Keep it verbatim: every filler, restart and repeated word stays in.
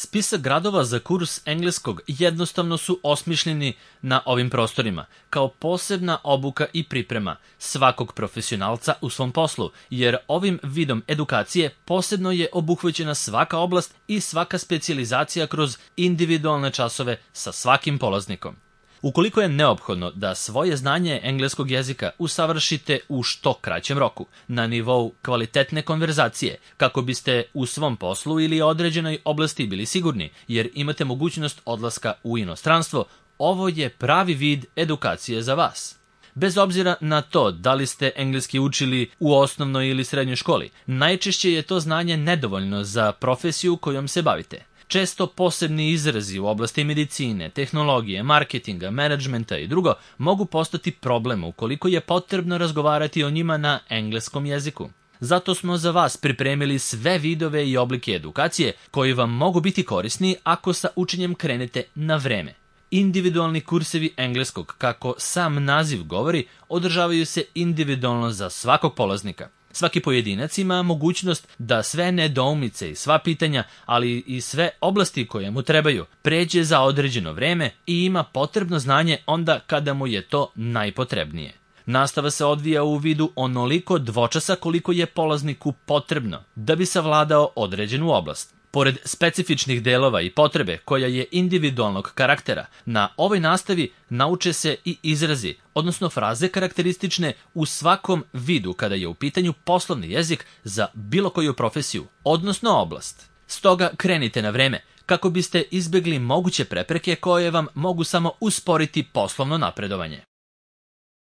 Spisak gradova za kurs engleskog jednostavno su osmišljeni na ovim prostorima, kao posebna obuka i priprema svakog profesionalca u svom poslu, jer ovim vidom edukacije posebno je obuhvaćena svaka oblast i svaka specijalizacija kroz individualne časove sa svakim polaznikom. Ukoliko je neophodno da svoje znanje engleskog jezika usavršite u što kraćem roku, na nivou kvalitetne konverzacije, kako biste u svom poslu ili određenoj oblasti bili sigurni, jer imate mogućnost odlaska u inostranstvo, ovo je pravi vid edukacije za vas. Bez obzira na to da li ste engleski učili u osnovnoj ili srednjoj školi, najčešće je to znanje nedovoljno za profesiju kojom se bavite. Često posebni izrazi u oblasti medicine, tehnologije, marketinga, menadžmenta i drugo mogu postati problem ukoliko je potrebno razgovarati o njima na engleskom jeziku. Zato smo za vas pripremili sve vidove i oblike edukacije koji vam mogu biti korisni ako sa učenjem krenete na vreme. Individualni kursevi engleskog, kako sam naziv govori, održavaju se individualno za svakog polaznika. Svaki pojedinac ima mogućnost da sve nedoumice i sva pitanja, ali i sve oblasti koje mu trebaju, pređe za određeno vreme i ima potrebno znanje onda kada mu je to najpotrebnije. Nastava se odvija u vidu onoliko dvočasa koliko je polazniku potrebno da bi savladao određenu oblast. Pored specifičnih delova i potrebe koja je individualnog karaktera, na ovoj nastavi nauče se i izrazi, odnosno fraze karakteristične u svakom vidu kada je u pitanju poslovni jezik za bilo koju profesiju, odnosno oblast. Stoga krenite na vreme kako biste izbegli moguće prepreke koje vam mogu samo usporiti poslovno napredovanje.